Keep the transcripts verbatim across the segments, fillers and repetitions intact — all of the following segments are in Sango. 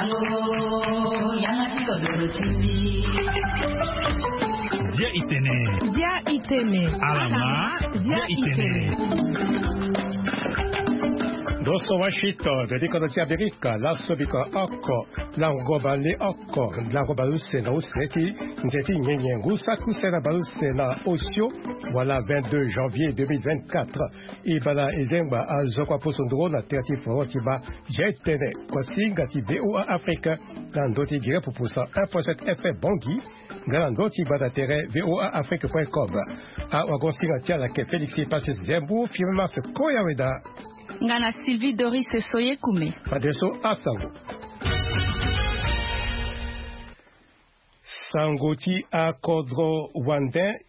Bia itene. Bia itene. Alama. Bia itene. Ndo so Washington, vedi kodro ti Amerika, laso biko oko, lango bale oko, lango bale use na use ti nze ti nyenye ngu saki use na bale use na osio, wala vingt-deux janvier deux mille vingt-quatre. E bala e zengba azo kua poso nduru na tere ti foro ti bâ. Zia e tene, kuasinga ti V O A Afrique, na ndö ti gere pupu cent un point sept F M Bangui, nga na ndö ti gbata tere V O A Afrique point com. Awagosinga ti ala ayeke Félix Passes Zembo, Firmin Mars Koya Weda. Nga na Sylvie Doris Soyekume. Fadeso asango. Sango ti akodro wande.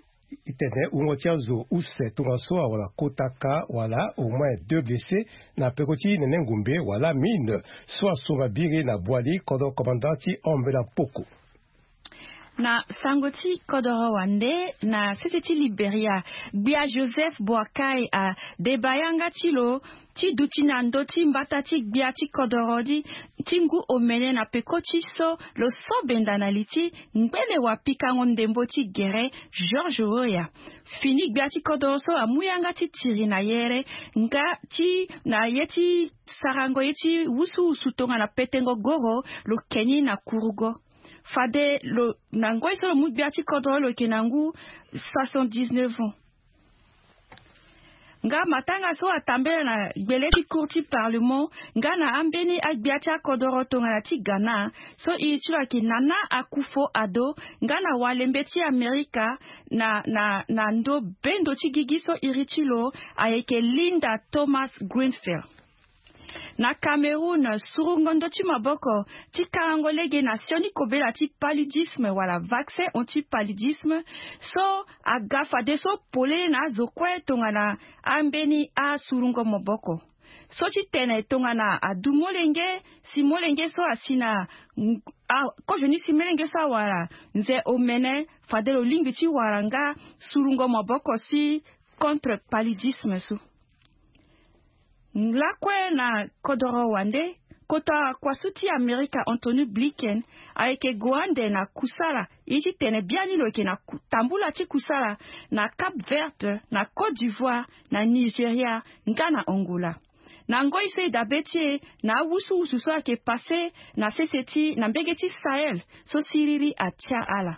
E tene wungo ti azo use tongaso awara kota ka wala au moins deux blessés na peko ti nene ngumbe wala mine so asomba biri na Boali, kodro commandant ti Ombela Mpoko. Na sango ti kodoro wande, na sese ti Liberia, gbia Joseph Boakai adeba yanga ti lo ti duti na ndö ti mbata ti gbia ti kodoro ti, ti ngu omene na peko ti so lo so benda na li ti ngbene wapikango ndembo ti gere George Weah. Fini gbia ti kodoro so amu yanga ti tiri na yere nga ti na ye ti sarango ye ti wusuwusu tongana petengo goro lo ke ni na kurugo. Fade lo na ngoi so lo mu gbia ti kodoro lo yeke na ngu soixante-dix-neuf ans. Nga matanga so atambela na gbele ti cour ti parlement nga na ambeni agbia ti akodoro tongana ti Ghana, so iri ti lo ayeke Nana Akufo-Addo, nga na walembe ti Amerika na, na, na ndo bendo ti gigi so iri ti lo ayeke Linda Thomas-Greenfield. Na Cameroun, surungo ndö ti maboko ti karango lege na sioni kobela ti paludisme wala vaccin anti-paludisme so aga fadeso polele na azo kue tongana ambeni asurungo maboko. So ti tene tongana adu molenge, si molenge so asi na, a, kozoni si molenge so awara nze omene, fade lo lingbi ti wara nga surungo maboko si contre paludisme so. Lakue na kodoro wande, kota kuasu ti Amerika Antony Blinken ayeke gue ande na kusala, ye ti tene biani lo yeke na ku-, tambula ti kusala na Cap Vert, na Côte d'Ivoire, na Nigeria, nga na Angola. Na ngoi so e dabe ti e na awusuwusu so ayeke pase na sese ti na mbege ti Sahel so siriri atia ala.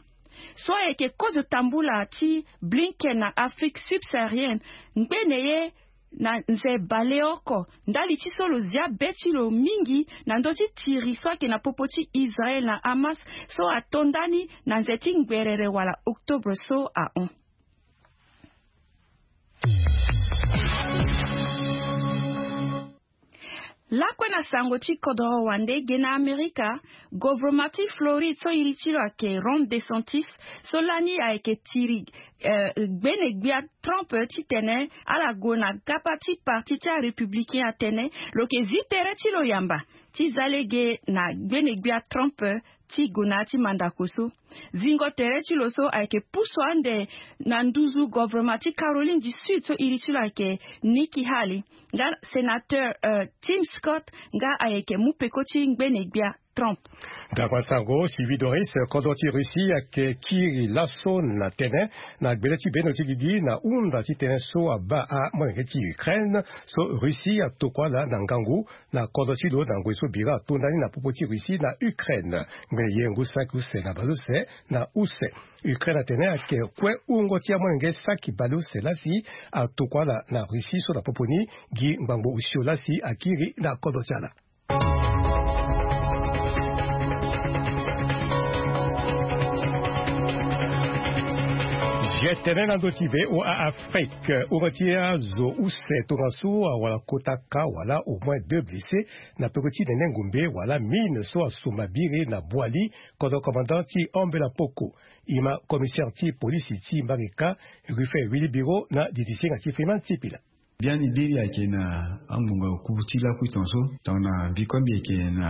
So ayeke kozo tambula ti Blinken na Afrique subsaharienne, ngbene ye na nze baleoko, ndali ti so lo zia be ti lo mingi na ndö ti tiri so ayeke na popo ti Israel na Hamas, so ato ndani na nze ti ngberere wala octobre so ahon. Lakue na sango ti kodoro wande, ge na Amerika, govoroma ti Floride so iri ti lo ayeke Ron DeSantis, so lani ayeke tiri, eh, gbene gbia Trump titene ala gue na gapa ti parti ti arépublicain atene lo yeke zi tere ti lo yamba ti za lege na gbene gbia Trump ti gue na ya ti mandako so. Zingo tere ti lo so ayeke pusu ande na nduzu govoroma ti Caroline du Sud so iri ti lo ayeke Nikki Haley, nga sénateur, euh, Tim Scott, nga ayeke mu peko ti ngbene gbia Trump. Ndangba sango, Sylvie Doris, kodro ti Russie ayeke kiri laso na tënë na gbele ti bendo ti gigi na hunda ti tënë so abaa amolenge ti Ukraine so Russie atokua ala na ngangu na kodro ti lo na ngoi so bira ato ndani na popo ti Russie na Ukraine. Ngbene ye ngu saki use na baleuse na use. Ukraine atene ayeke kue wungo ti amolenge saki baleuse laa si atokua ala na Russie so na popo ni gi ngbangbo osio laa si akiri na kodro ti ala. Ge tene na ndö ti VOA Afrique, wungo ti azo use tongaso awara kota ka wala au moins deux blessés na peko ti nene ngumbe wala mine so asomba biri na Boali, kodro commandant ti Ombela Poko. E ma commissaire ti polisi ti Mbarika, Ruffin Willy Biro na didi singa ti Freeman Sipila. Biani biri ayeke na angbonga oku ti lakui tongaso. Tongana mbi kue mbi yeke na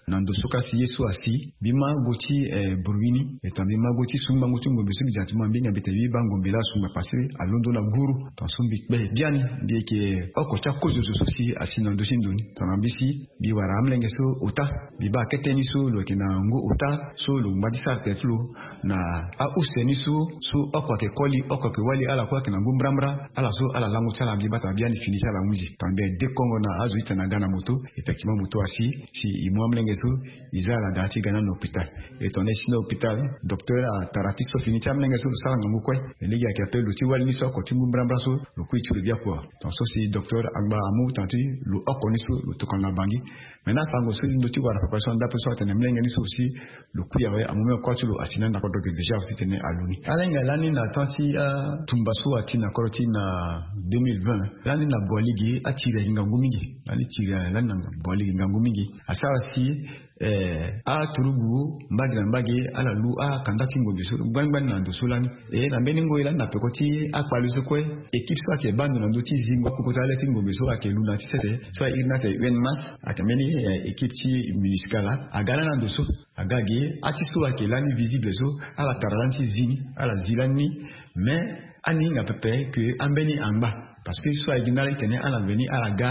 na ndo so kasi ye so asi mbi ma go ti eh, burwi ni. E tongana mbi ma go ti sungbango ti ngombe so mbi dia ti ma mbi hinga mbi tene mbi baa ngombe laa asungba pase alondo na guru. Tongaso mbi kpe biani mbi yeke oko ti akozo zo so si asi na ndo ti ndo ni. Tongana mbi si mbi wara amolenge so ota. Mbi baa kete ni so lo yeke na ngu ota so lo ngba ti sara tere ti lo na ause ni so so oko ayeke koli oko ayeke wali ala kue ayeke na ngu mbrambra. Ala so ala lango ti ala mbi baa tongana biani fini ti ala ahunzi tongana mbi dekongo na azo ti tene aga na moto. Effectivement moto asi si e mu amolenge so e za ala daa ti ga na na hôpital. E tongana e si na hôpital docteur atara ti so fini ti amolenge so lo sara ngangu kue. E lege ayeke ape lo ti wali ni so oko ti ngu mbrambra so lo kui ti lo biaku awe. Tongaso si docteur angba amu tongana ti lo oko ni so lo tokana na bangi. Maintenant asango so ndo ti wara préparation na ndape so atene molenge ni so aussi lo kui awe amu même kua ti lo asi na anda kodro ge déjà aussi tene alu ni. Ala hinga lani na temps ti atumba so ati na kodro ti na deux mille vingt lani na boaligi atiri ayeke ngangu mingi. Lani tiri lani na boaligi ngangu mingi asara si eh, aturugu mbage na mbage ala lu akanda ti ngombe so gbani gbani na ndo so lani. E na mbeni ngoi lani na peko ti akpale so kue équipe so ayeke baa ndo na ndö ti zingo akokota le ti ngombe so ayeke lu na ti sese so airi ni atene un mas. Ayeke mbeni eh, équipe ti municipal aga lani na ndo so aga ge ati so ayeke lani visible so ala tara lani ti zi ni ala zi lani ni. Mais ani hinga pepe ke ambeni angba parce que so aye gi ndala ti tene ala veni ala ga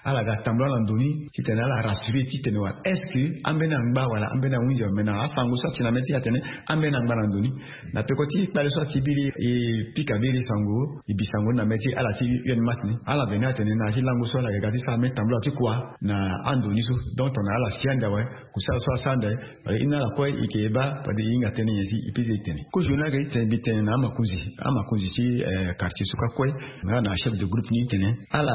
ala ga tambula na ndo ni ti tene ala rassurer ti tene wala est-ce que ambeni angba wala ambeni ahunzi awe mais na asango so ati na mê ti atene ambeni angba na ndo ni. Na peko ti kpale so ati biri e pika biri sango e bi sango ni na mê ti ala ti un mas ni ala veni atene na ya ti lango so ala ga ga ti sara mê tambula ti kua na ando ni so. Donc tongana ala si ande awe kusala so asara ande awe. Wala e na ala kue e yeke e baa fade e hinga tënë nyen si e pede e tene kozo ni ayeke ti tene mbi tene na amakonzi amakonzi ti eh, quartier so kue kue nga na chef de groupe ni tene ala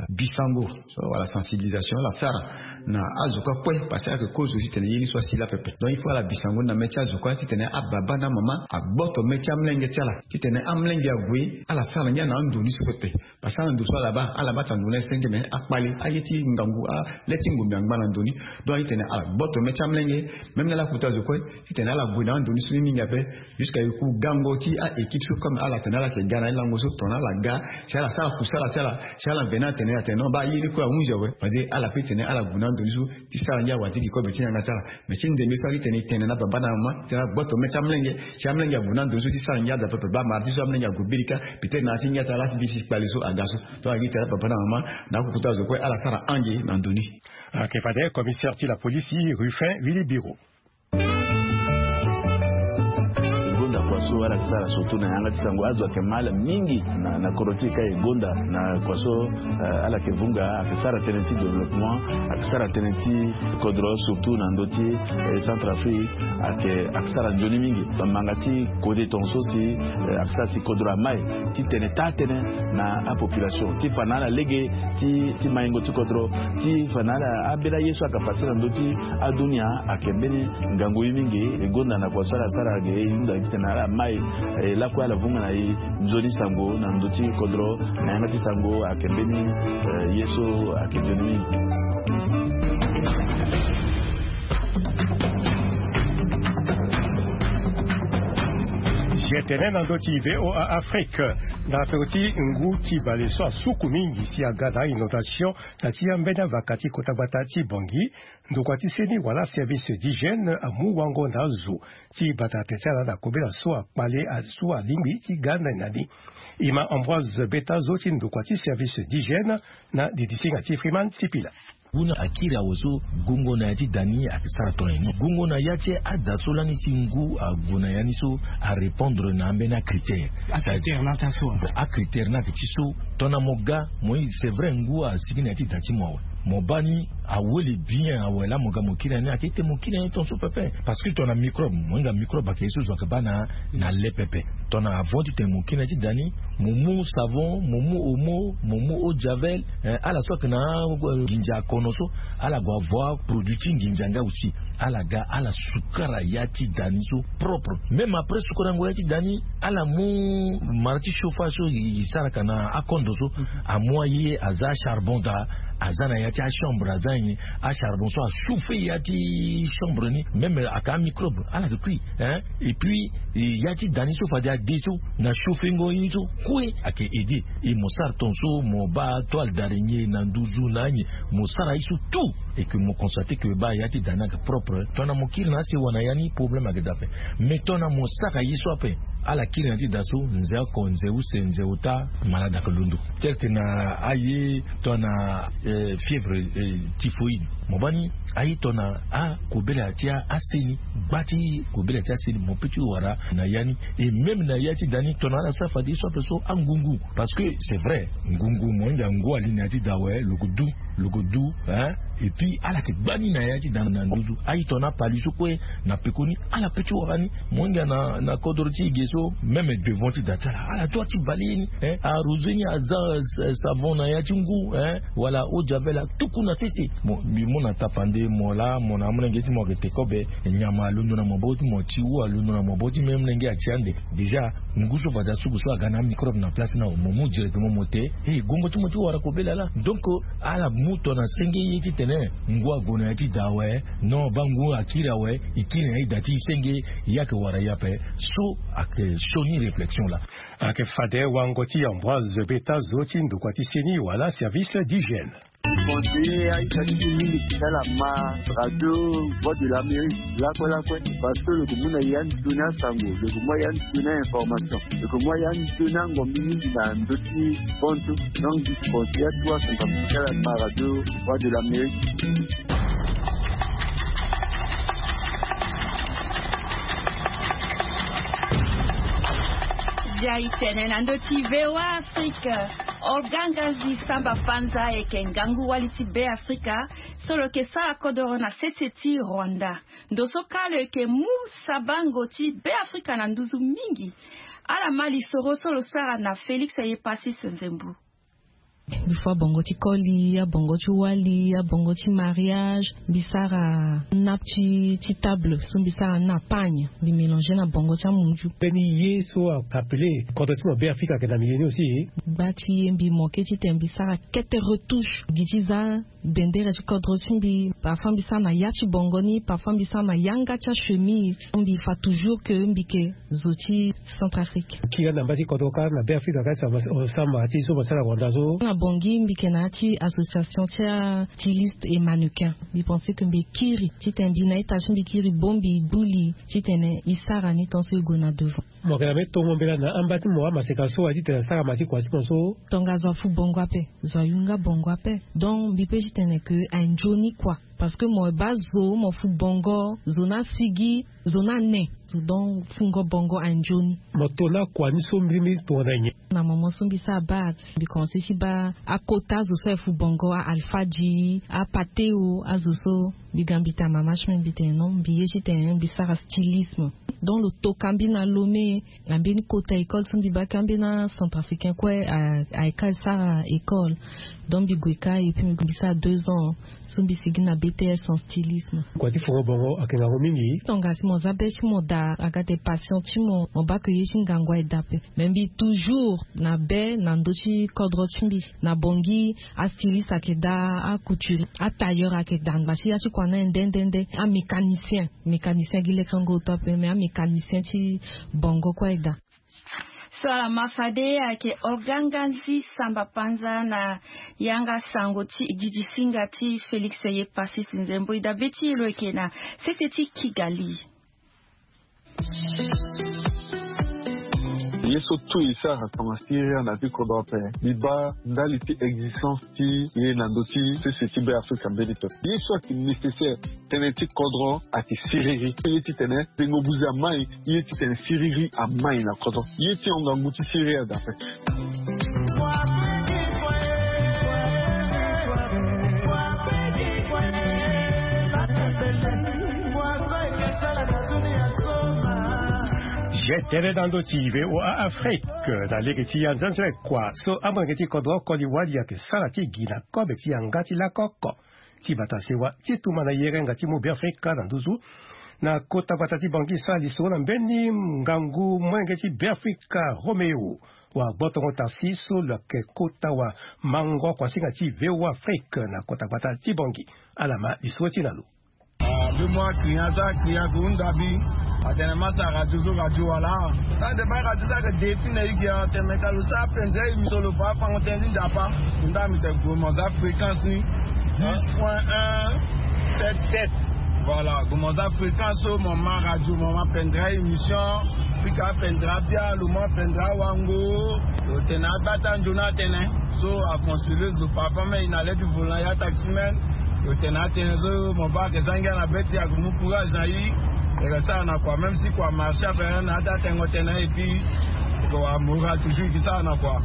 bi sango so wala sensibilisation ala sara na azo kue kue parce que ayeke kozo ti tene ye ni so asi laa pepe. Donc il faut ala bi sango ni na mê ti azo kue ti tene ababa na amama agboto mê ti amolenge ti ala ti tene amolenge ague ala sara ngia na ando ni so pepe. Parce que ala ndo so ala baa ala baa tena ndo na ye senge me akpale aye ti ngangu ale ti ngombe angba na ndo ni. Donc aye ti tene ala gboto mê ti amolenge même na ala kuta zo kue ti tene ala gue na ando ni so ni mingi ape. Jusqu'à e ku gango ti a-équipe so comme ala tene ala yeke ga na ye lango so tongana ala ga si ala sara kusala ti ala si ala veni atene atene non baa ye ni kue ahunzi awe. Fade ala pe tene ala gue na ando ni so ti sara ngia wala ti gi kobe ti yanga ti ala. Mais ti ndembe so ayeke tene e tene na baba na mama ti tene agboto mê ti amolenge si amolenge ague na ndo ni so ti sara ngia da pepe baa mara ti so amolenge ague birika. Peut-être na ya ti ngia ti ala si mbi si kpale so aga so. Donc ayeke tene na baba na mama na akokota zo kue ala sara ange na ndo ni. Ayeke fade commissaire ti la police Ruffin Wilibiro. Gonda kua so ala yeke sara surtout na yanga ti sango azo ayeke mal mingi na na kodro ti e ka e gonda na kua so. Ala yeke vunga ayeke sara tënë ti développement ayeke sara tënë ti kodro surtout na ndö ti centre afrique. Ayeke ayeke sara nzoni mingi bamanga ti kode tongaso si ayeke sara si kodro amai ti tene taa tënë na apopulation ti fa na ala lege ti maingo ti kodro ti fa na ala ambeni aye so ayeke pase na ndö ti adunia. Ayeke mbeni ngangu ye mingi e gonda na kua so ala sara ge e hunda ti tene ala mai e lakue ala vunga na e nzoni sango na ndö ti kodro na yanga ti sango ayeke mbeni ye so ayeke nzoni mingi. Jetene na ndö ti voa afrique na peko ti ngu ti bale so asuku mingi si aga na inondation na ti ambeni avaka ti kota gbata ti bongi. Ndokua ti seni wala service d'hygiène amu wango na azo ti bata tene ti ala na kobela so akpale azo alingbi ti ga na ni na ni. E ma ambroise beta zo ti ndokua ti service d'hygiène na didisinga ti freeman sipila. Ngu ni akiri awe so gongo na ya ti da ni ayeke sara tongana nyen? Gongo na ya ti ada so lani si ngu ague na ya ni so arépondre na ambeni acritère. Acritère ni ayeke ti so tongana mo ga mo ye c'est vrai ngu asigi na ya ti da ti mo awe. Mo baa ni awele bien awe laa mo ga mo kiri na ni ayeke ti tene mo kiri na ni tongaso pepe. Parce que tongana microbe mo hinga microbe ayeke ye so zo ayeke baa na na le pepe. Tongana avant ti tene mo kiri na ya ti da ni mo mu savon mo mu omo mo mu eau de javel. Ala so ayeke na nginza akono so ala gue avoir produit ti nginza nga aussi. Ala ga ala sukara ya ti da ni so propre. Même après sukarango ya ti da ni ala mu mara ti chauffage so e saraka na akondo so amu aye aza acharbon daa. Aza na ya ti achambre aza nyen? Achardon so achauffer ya ti chambre ni, même aka amicrobe ala ke kui. Hein, et puis ya ti da ni so fade ade so na chauffer ngo ye ni so kue ake aider. Et mo sara ton so mo baa toile d'araignée na nduzu na anyen, mo sara ye so tout, et que mo constater que baa ya ti da ni ake propre, tongana mo kiri na asewa na ya ni problème ake daa ape. Mais tongana mo sara ye so ape, ala kiri na ya ti da so nze oko, nze use, nze ota, malade ake londo. Tel que na aye tongana fièvre typhoïde, mo baa ni aye tongana akobela ti ase ni, gba ti kobela ti ase ni mo pe ti wara na ya ni. Et même na ya ti da ni tongana ala sara fade ye so ape so angungu. Parce que c'est vrai, ngungu mo hinga ngu ali na ya ti da awe, lo ke du, lo ke du. Hein, et puis ala ke gba ni na ya ti da na nduzu. Aye tongana apali so kue na pekoni ala pe ti wara ni. Mo hinga na kodro ti e ge so, même devant ti da ti ala, ala doit ti balayer ni. Hein, arroser ni, aza savon na ya ti ngu, hein, wala eau de javel, atuku na sese. Bon, mbi mu na tapande mo laa, mo na amolenge ti mo ake te kobe, nyama alondo na maboko ti mo, tiwu alondo na maboko ti mo, amolenge ati ande. Déjà ngu so fade asuku so aga na amicrobe na place ni awe, mo mu directement mo te, e gongo ti mo ti wara kobela laa. Donc ala mu tongana senge ye titene ngu ague na ya ti da awe. Non, baa ngu akiri awe, e kiri na e da ti e senge, ye ake wara ye ape. So ake sioni réflexion laa. Ake fade wango ti Ambroise Beta, zo ti ndokua ti seni wala service d'hygiène. Conseiller aita ti e mingi ti ala ma radio Voix de l'Amérique lakue lakue, parce que lo ke mu na ya nzoni asango, lo ke mu ya nzoni a-information, lo ke mu ya nzoni angombi mingi na ndö ti bantu. Donc mbi ti conseiller atu asango ti ala ma radio Voix de l'Amérique. Bia e tene na ndö ti VOA Afrique. Organgazi Samba Panza ayeke ngangu wali ti Beafrika so lo yeke sara kodoro na sese ti Rwanda. Ndo so kâ lo yeke mu sabango ti Beafrika na nduzu mingi. Ala ma lisoro so lo sara na Félix Yepasis Nzembu. Mbi fâ bongo ti koli, abongo ti wali, abongo ti mariage, mbi sara nappe ti table so mbi sara ni na pagne, mbi mélanger na bongo ti amunzu. Mbeni ye so a appelé kodro ti mo Beafrika ayeke na milieu ni aussi. Gba ti ye mbi manqué titene mbi sara kete retouche gi ti za bendere ti kodro ti mbi. Parfois mbi sara na ya ti bongo ni, parfois mbi sara na yanga ti achemise. Mbi fâ toujours que mbi yeke zo ti Centrafrique. Kiri na mba ti kodro kâ na Beafrika kâ, osama ti so mo sara Rwanda so. Na Bangui mbi yeke na ya ti association ti a styliste et mannequin. Mbi pensé que mbi kiri titene mbi na ita ti mbi kiri bongbi gbu li titene e sara ni tant so e gue na devant. Mo yeke na mbeni tongo mbela na amba ti mo amaseka so aye titene asara ma ti kua ti mo so. Tongaso afu bongo ape, zo ayunga bongo ape. Donc mbi pe titene que aye nzoni kua. Parce que mo baa zo mo fu bongo, zo ni asigi, zo ni ane, zo donc fungo bongo aye nzoni. Mo to ni akua ni so mbirimbiri tongana nyen? Na moment so mbi sara bac, mbi commencé ti baa akota azo so aye fu bongo, a-alfadji, apateo, azo so. Mbi ga mbi tene mama ti mbi, mbi tene non, mbi ye titene mbi sara stylisme. Donc lo toka mbi na Lomé. Na mbeni kota école so mbi baa kâ mbeni acentrafricain kue aye kâ e sara école. Donc mbi gue kâ et puis mbi sara deux ans so mbi sigi na B T S en stylisme. Kua ti fungo bongo ayeke ngangu mingi. Tongana si mo za be ti mo daa, aga ate passion ti mo, mo baa ke ye ti ngangu aye daa ape. Mais mbi toujours na be na ndö ti kodro ti mbi. Na Bangui astyliste ayeke daa, acouturier, atailleur ayeke daa, ngba ti ya ti kua ni aye nde nde nde. Amécanicien, mécanicien gi lekengo to ape, mais amécanicien ti bongo kue aye daa. So ala ma fade ayeke Organgazi Samba Panza na yanga sango ti gigi singa ti Félix Yepasis Nzembo. E dabe ti e lo yeke na sese ti Kigali. Ye so tout e sara tongana siriri na ya ti kodro ape. Mbi baa ndali ti existence ti ye na ndö ti sese ti Beafrika mbeni pepe. Ye so ayeke nécessaire, tënë ti kodro ayeke siriri. Ye titene tengo buze amai, ye titene siriri amai na kodro. Ye ti hon ngangu ti siriri daa ape. Ye tënë na ndö ti V O A Afrique, na lege ti anzenzele kua so amolenge ti kodro koli wali ayeke sara ti gi na kobe ti yanga ti lako oko ti bata sewa ti tumba na yerenga ti mu Beafrika na nduzu. Na kota gbata ti Bangui sara lisoro na mbeni ngangu molenge ti Beafrika Roméo wa gbotongo taxi so lo yeke kota wa mango kuasinga ti Véo Afrique na kota gbata ti Bangui. Ala ma lisoro ti na lo. Ah, mbi mu akria so akria ku hunda mbi. Atene ma sara radio so radio wala. Ande ma radio so ayeke depuis na igi atene ka lo sara pendere émission lo fa afango tënë ti Nzapa. Nda mbi tene gue mo za fréquence ni dix point un sept sept. Voilà, gue mo za fréquence so mo ma radio mo ma pendere émission. Pika pendere abia lo ma pendere awango. Lo tene abata nzoni atene. So aconseiller zo papa me i na le ti volant ya taximen. Lo tene atene so mo baa ayeke za ngia na be ti e, ayeke mu courage na e. E yeke sara na kua, même si kua marché ape na ata tengo tënë et puis ko wa moral toujours e ke sara na kua.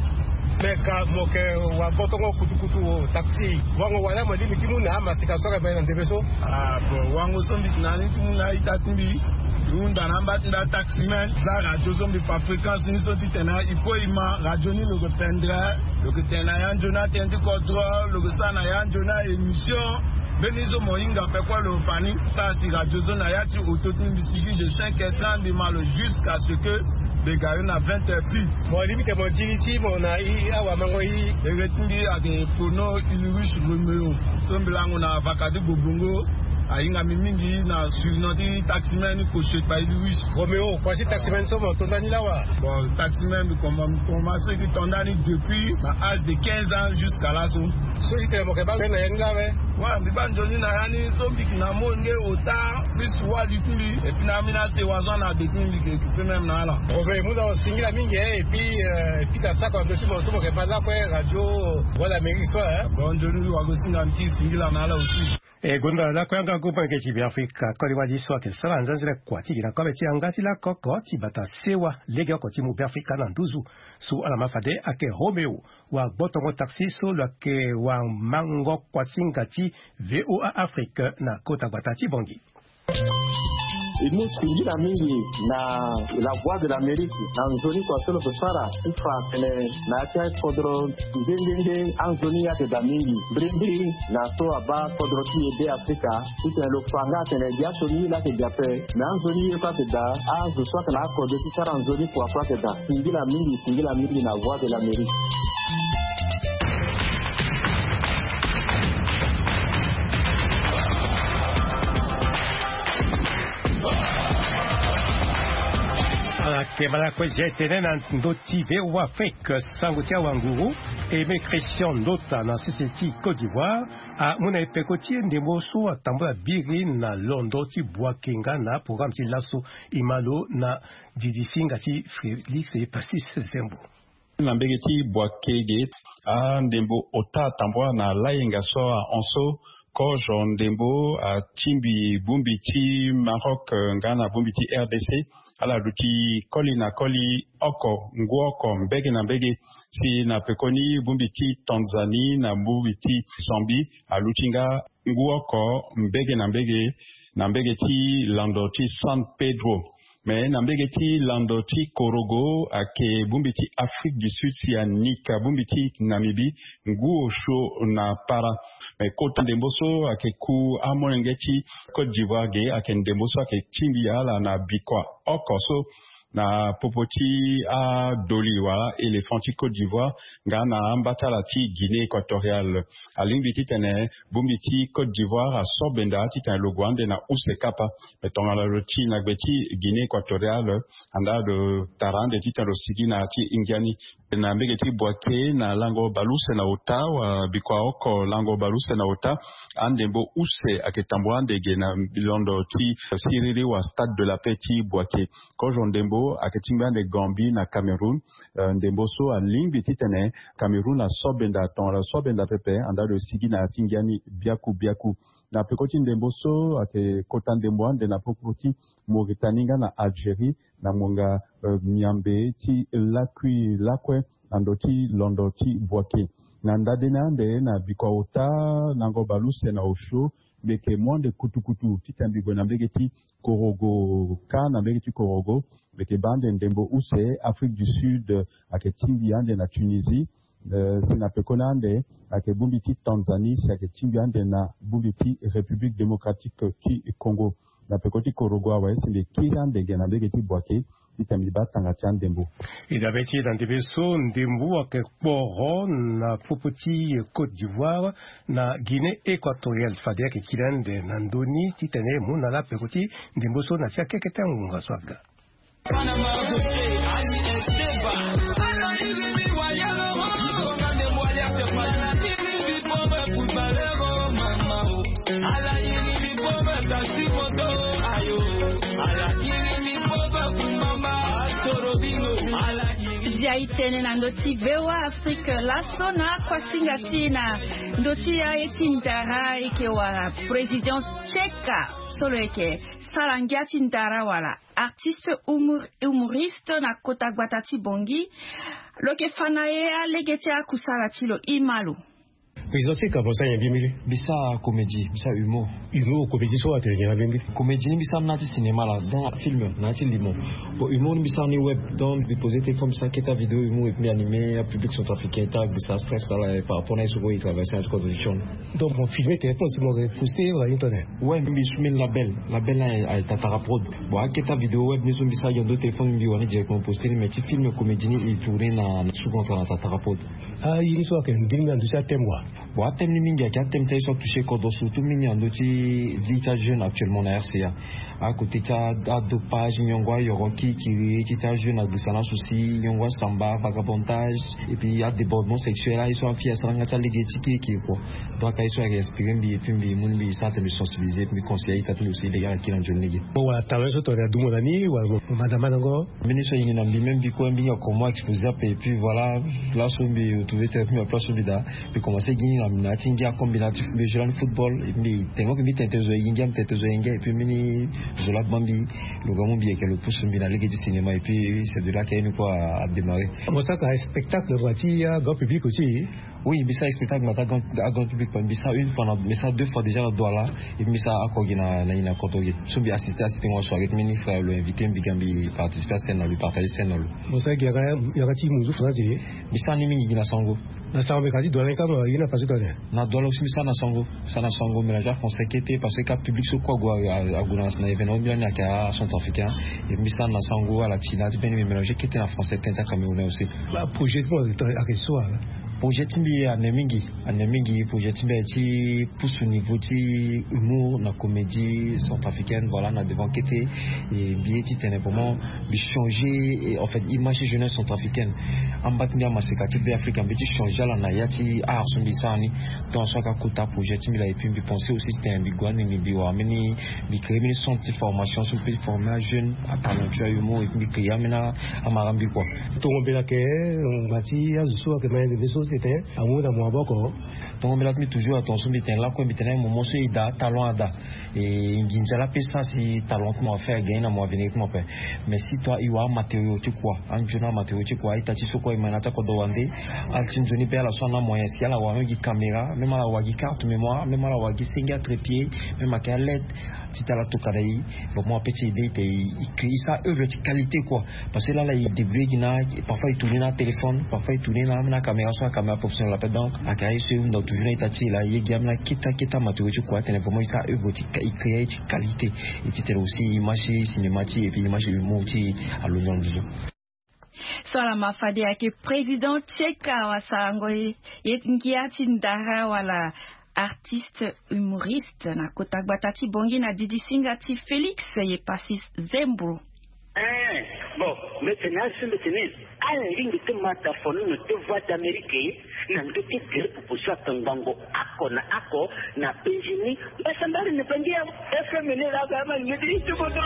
Me ka mo yeke wa gbotongo kutukutu taxi, wango wala mo lingbi ti mu na amasika so ayeke bale na ndembe so? Ah bon, wango so mbi yeke na ni ti mu na a-ita ti mbi. Mbi hunda na amba ti mbi ataximen, za radio so mbi fa fréquence ni so titene e kue e ma radio ni lo yeke pendere. Lo yeke tene na ya nzoni atënë ti kodro, lo yeke sara na ya nzoni a-émission. Mbeni so mo hinga ape kue lo fa ni. Sara si radio so na ya ti auto ti mbi, mbi sigi de cinq heures trente mbi ma lo jusqu'à ce que mbi gari na vingt heures pile. Mo lingbi tene mo di ni ti mo na i awamango i. Ere ti mbi ayeke Pono Ulrich Roméo. So mbi lango na vaka ti Gbobongo. Ahinga mbi mingi na surnom ti taximen ni Koche Kpa Ulrich. Roméo, kua ti taximen so mo to ndani lawa? Bon, taximen mbi komanse ti to ndani depuis na âge de quinze ans jusqu'à laso. So itene mo yeke baa nzoni na ya ni la awe? Wa mbi baa nzoni na ya ni so mbi yeke na molenge ota plus wali ti mbi. Et puis na ambeni asewa so ana depuis mbi yeke occupé même na ala. Roméo, e mu na lo singila mingi, hein, et puis euh, e pika sako na ndö ti mo so mo yeke baa lakue radio Voix d'Amérique so, hein. Bon, nzoni wago singa mbi ti singila na ala aussi. E gonda lakue yanga gu molenge ti Beafrika koli wali so ayeke sara nzanzele kua ti gi na kobe ti yanga ti lako oko ti bata sewa legeoko ti mu Beafrika na nduzu. So ala ma fade ayeke Roméo wa gbotongo taxi so lo yeke wa mango kuasinga ti V O A Afrique na kota gbata ti Bangui. E mu singila mingi na La Voix de l'Amérique na nzoni kua so lo yeke sara ti fa atene na ya ti akodro nde nde nde anzoni ayeke daa mingi. Mbirimbiri na so abaa kodro ti e Beafrika titene lo fa nga atene dia so ni la ayeke daa ape. Me anzoni ye kue ayeke daa, azo so ayeke na akode ti sara nzoni kua kue ayeke daa. Singila mingi, singila mingi na Voix de l'Amérique. Ala yeke ma lakue zia e tene na ndö ti V O A Afrique, sango ti awanguru Aimé Christian Ndota na sese ti Côte d'Ivoire amu na e peko ti e ndembo so atambula biri na londo ti Boaké nga na programme ti laso. E ma lo na didisinga ti Félix Passis Zembo. Na mbege ti Boaké ge, andembo ota atambua na layenga so ahon so kozo ndembo atingbi bongbi ti Maroc, eh, nga na bongbi ti R D C. Ala duti koli na koli oko, ngu oko mbege na mbege. Si na pekoni bongbi ti Tanzanie na bongbi ti Zambie aluti nga ngu oko mbege na mbege na mbege ti lando ti San Pedro. Me na mbege ti lando ti Korogo ayeke bongbi ti Afrique du Sud si anika bongbi ti Namibie ngu osio na para. Me kota ndembo so ayeke ku amolenge ti Côte d'Ivoire ge ayeke ndembo so ayeke tingbi ala na bikua oko so na popo ti adoli wala éléphant ti Côte d'Ivoire nga na ambatala ti Guinée équatoriale. Alingbi titene bongbi ti Côte d'Ivoire asobenda titene lo gue ande na use kapa. Me tongana lo ti na gbe ti Guinée équatoriale, anda lo tara ande titene lo sigi na ya ti ngia ni. Na mbege ti Boaké na lango baleuse na ota, wa bikua oko lango baleuse na ota, andembo use ayeke tambula ande ge na londo ti siriri wa Stade de la Paix ti Boaké. Kozo ndembo ayeke tingbi ande Gambie na Cameroun. Eh, ndembo so alingbi titene Cameroun asobenda, tongana asobenda pepe, anda lo sigi na ya ti ngia ni biaku biaku. Na peko ti ndembo so ayeke kota ndembo ande na popo ti Mauritanie nga na Algérie, na ngonga, eh, miambe ti lakui lakue na ndo ti londo ti Boaké. Na ndade ni ande na bikua ota lango baleuse na osio, mbi yeke mu ande kutukutu titene mbi gue na mbege ti Korogo. Kâ na mbege ti Korogo mbi yeke baa ande ndembo use Afrique du Sud, eh, ayeke tingbi ande na Tunisie. Eh, si na pekoni ande ayeke bongbi ti Tanzanie, si ayeke tingbi ande na bongbi ti République Démocratique ti Congo. Na peko ti korogo awe si mbi kiri andege na mbege ti Boaké, ti tene mbi baa tanga ti andembo. E dabe ti e na ndembe so ndembo ayeke kporo na popo ti Côte d'Ivoire na Guinée Équatoriale. Fade ayeke kiri ande na ndö ni ti tene e mu na ala peko ti ndembo so na ti akekete angonga so aga. Zia e tene na ndö ti V O A Afrique laso na akuasinga ti e na ndö ti aye ti ndara e yeke wara président Tcheka so lo yeke sara ngia ti ndara wala artiste humor-, humoriste na kota gbata ti Bangui. Lo yeke fa na e alege ti akusala ti lo. E ma lo. Président Tcheka, mbi sara nyen mbirimbiri? Mbi sara comédie, mbi sara humour. Humour, comédie so atene nyen na mbirimbiri? Comédie ni mbi sara na ya ti cinéma la, donc film na ya ti limo. Bon, humour ni mbi sara ni web, donc mbi poser téléphone, mbi sara kete avidéo humour et puis mbi animer apublic centrafricain ti agbisa stress ala par rapport na ye so kue e traverser na ya ti contribution. Donc mo filmer téléphone si mo poster wala ni tene? Ouais, mbi sumini label, label na aye Tatara Prod. Bon, akete avidéo web ni so mbi sara gi na ndo téléphone, mbi wani directement poster ni, mais ti film comédie ni e tourner na sous contrat na Tatara Prod. Ah, ye ni so ayeke ndingbi na ndö ti athème wa? Bon, athème ni mingi ayeke athème ti aye so atoucher kodro, surtout mingi na ndö ti vie ti ajeune actuellement na R C A. Akote ti adopage, nyongo ayoro kirikiri ti ti ajeune agbisa na souci, nyongo asamba, vagabondage, et puis adébordement sexuel, aye so afille asara nga ti alege ti kirikiri kua. Donc aye so ayeke inspiré mbi, et puis mbi mu ni mbi sara tene mbi sensibiliser, et puis mbi conseiller aye ta ti lo si lege ala kiri na nzoni lege. Bon, wala talent so tongana adumo na ni wala mo manda mandango? Mbeni so ayeke na mbi, même mbi kue mbi hinga comment exposer ape, et puis voilà, là so mbi retrouver tene mbi place so mbi daa, mbi commencer gi na mbi na ya ti ngia comme mbi na ya ti mbi joue lani football, et puis mbi tene mo ke mbi tene tene zo ayeke ngia, mbi tene tene zo ayeke ngia, et puis mbeni zo laa gba mbi, lo ga mu mbi ayeke lo pousse mbi na lege ti cinéma, et puis c'est de là que ye ni kue a démarrer. Mo sara spectacle wa ti grand public aussi? Oui, mbi sara spectacle na ti grand, grand public, mbi sara une fois na, mbi sara deux fois déjà na Douala, et mbi sara oko gi na, na, na Kotogi. So mbi assister, assister mo soirée, mini frère lo invité mbi, ga mbi participer à scène na lo, partager scène na lo. Mo sara gi yanga, yanga ti munzu français? Mbi sara ni mingi gi na Sango. Na Sango, mais ka ti Douala ni kâ, ye na façon tene? Na Douala aussi mbi sara na Sango, sara na Sango, mélange français kete, parce que ka public so kue ague, ague na, na événement mbi lani ayeke acentrafricain, et mbi sara na Sango, ala ti na ti mbeni mbi mélange kete na français, tene ti acamerounais aussi. Ba projet ti mo ayeke so? Projet ti mbi ane mingi, ane mingi. Projet ti mbi aye ti pousse au niveau ti humour na comédie centrafricaine, voilà, na devant kete. Et mbi ye ti tene vraiment mbi changer, et en fait, image ti jeunesse centrafricaine. Amba ti mbi amaseka ti Be Afrika, mbi ye ti changer ala na ya ti art so mbi sara ni. Donc so ayeke akota projet ti mbi laa, et puis mbi penser aussi ti tene mbi gue ande mbi, mbi wara mbeni, mbi créer mbeni centre ti formation so mbi peut former ajeune, atalentueux, ahumour, et puis mbi créer ambeni amara mbi kua. Tongo mbela ayeke, ngbanga ti azo so ayeke ma ye nzeve so si tene amu na mo maboko. Tongo mbela ti mbi toujours atonga so mbi tene lakue, mbi tene moment so e daa talent ada. E nginza la ape sara si talent ti mo afa, e gagner na mo avenir ti mo ape. Mais si toi e wara amatériau ti kua, anzoni amatériau ti kua, a-ita ti so kue e ma na ya ti akodro wande. Ala ti nzoni be ala so ana amoyen si ala wara même gi caméra, même ala wara gi carte mémoire, même ala wara gi senge atrépied, même ayeke aled. Ti tala tokana e, bon, mo ape ti ede e te e, e créer, e sara œuvre ti qualité quoi. Parce que lala e débrouiller gi na, parfois e tourner na téléphone, parfois e tourner na, na caméra so acaméra professionnel ape. Donc ayeke aye so e hunda toujours na ita ti e laa, e ye gi ambeni akete akete amatériau ti kua, atene vraiment e sara œuvre ti, e créer aye ti qualité. Et ti tene aussi image ti cinéma ti e, et puis image ti humour ti e alondo na nduzu. So ala ma fade ayeke président Tcheka wasarango ye, ye ngia ti ndara wala artiste humoriste na kota gbata ti Bangui na didisinga ti Félix Yepassis Zembo. Eh, bon, mbi tene asi mbi tene, ala lingbi ti ma tafono na ti Voix d'Amérique na ndö ti gere popo so ayeke ngbongo oko na oko na penzi ni. Mbasambari ni penzi ya F M ni la ga ma ni ti ti bodo.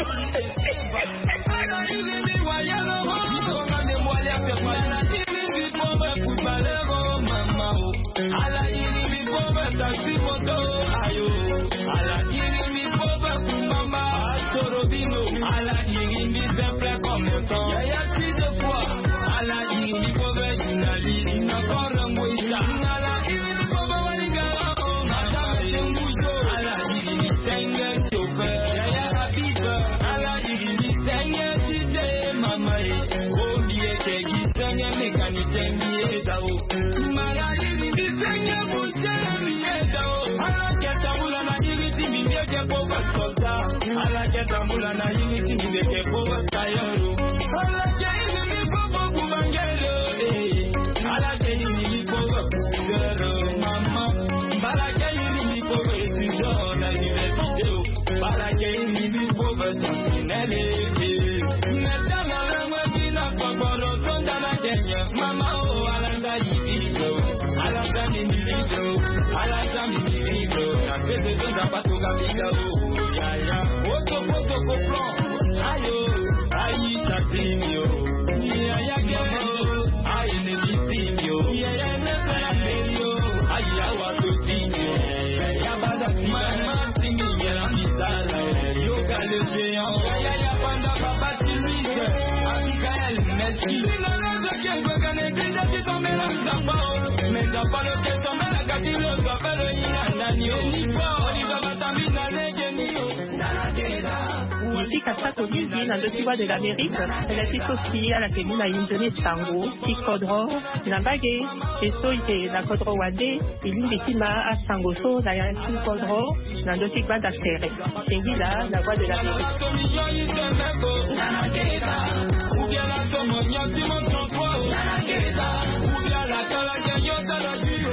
Ala ke tambula na yini ti mi ndeke po tailleur o. Ala ke yini mi po po kubangele o, eh. Ala ke yini mi po po couleur o, mama. Ala ke yini mi po po étudiant na université o. Ala ke yini mi po po sentinelle, eh. Meta na langue ti na kokoro tonda na Kenya. Mama o, ala nda yini o. Ala nda yini o. Ala nda yini o. Na pese tonda patuka biga o. Ya, ya. Oto, oto, koplo. Ayo, ayi, tatinho. Ya, ya, ya. Ayi, ne, bitinho. Ya, ya, ya, ya. Ayi, awa, totinho. Ya, ya, bada, mama, tingi, ya, la, misala. Yoka, le géant. Ya, ya, ya, banda, papa, tingi. Abigail, merci. Miziki asato mingi na ndö ti Voix de l'Amérique, tene ti so si ala yeke mu na inzo ni e sango ti kodro na mbage, e so e yeke na kodro wande, e lingbi ti ma asango so na ya ti kodro na ndö ti gbanda tere. Singila na Voix de l'Amérique.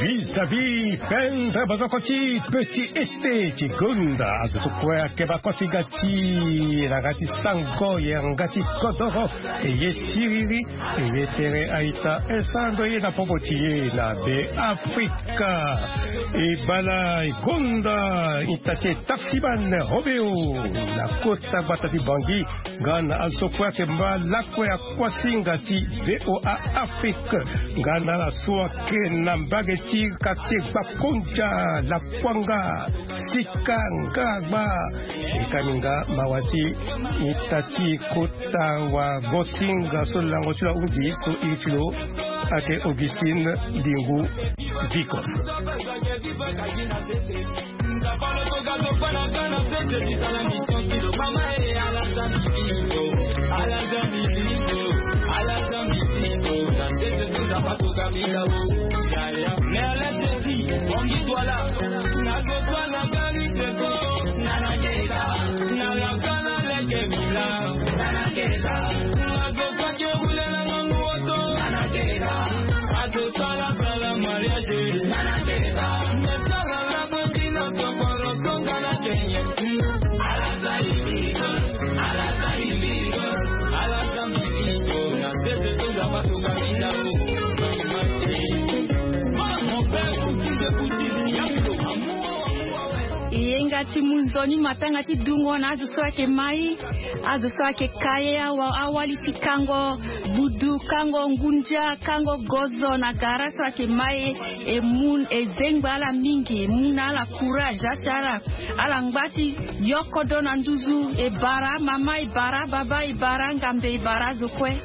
Vis-à-vis, pendre bozoko ti petit été ti gonda, azo so kue akeba kofi ga ti na ga ti sango ye nga ti kodoro, e ye siriri, e ye tere aita, e sando ye na popo ti ye na Be Afrika. E bala e gonda ita ti e taximan Robeo na kota gbata ti Bangui, nga na azo kue ayeke ma lakue akuasinga ti V O A Afrique, nga na ala so ayeke na mbage ti quartier Gbakondia, Lakuanga, Sika, Ngagba. E ka minga mawa ti ita ti kota wagosinga so lango ti lo ahunzi so iri ti lo ayeke Augustine Dingu Vicos. Yenga ti munzoni matanga ti dungo na azo so ayeke mai, azo so ayeke ka ye awa, awali ti kango budu, kango ngundia, kango gozo na gara so ayeke mai. E mu, e zengba ala mingi, e mu na ala courage, asi ala, ala ngba ti yokodo na nduzu. E bara mama, e bara baba, e bara ngambe, e bara azo kue.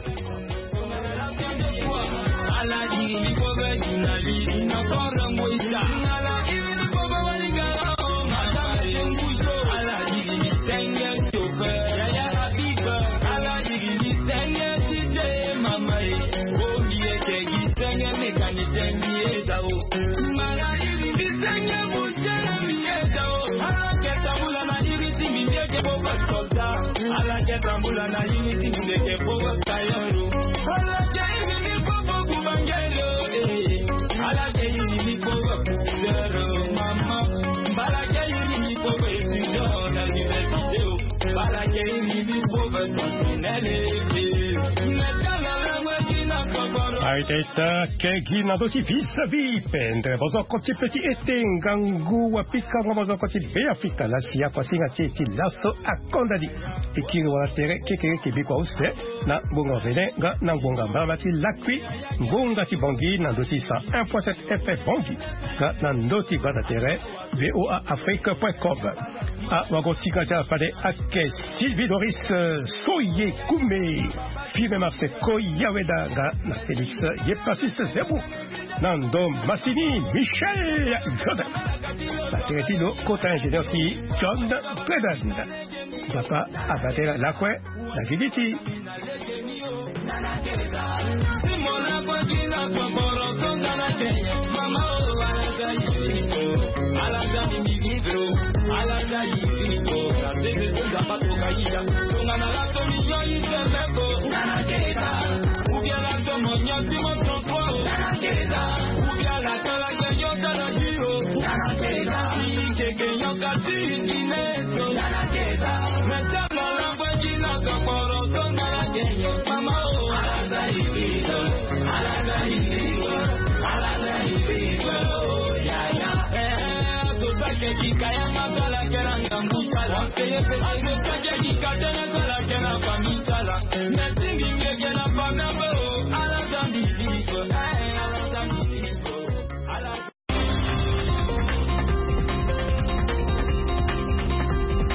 Aita, aita, kegi na ndö ti vis-à-vis, pendre bozoko ti petit été, ngangu wa pikango bozoko ti Be Afrika, la si akuasinga ti e ti laso akonda ni. E kiri wala tere kekereke bikua use na ngbonga vene nga na ngbonga mbama ti lakui, ngbonga ti Bangui na ndö ti cent un point sept F M Bangui nga na ndö ti gbanda tere V O A Afrique point com. Awagosinga ti ala fade ayeke Sylvie Doris, euh, Soye Kume, Firme Marseille Koyaweda nga na Félix Yepasis Zebou. Na ndo masini Michel Joseph. Na tere ti lo kota ingénieur ti John Bredan. Nzapa abatela lakue na gigi ti.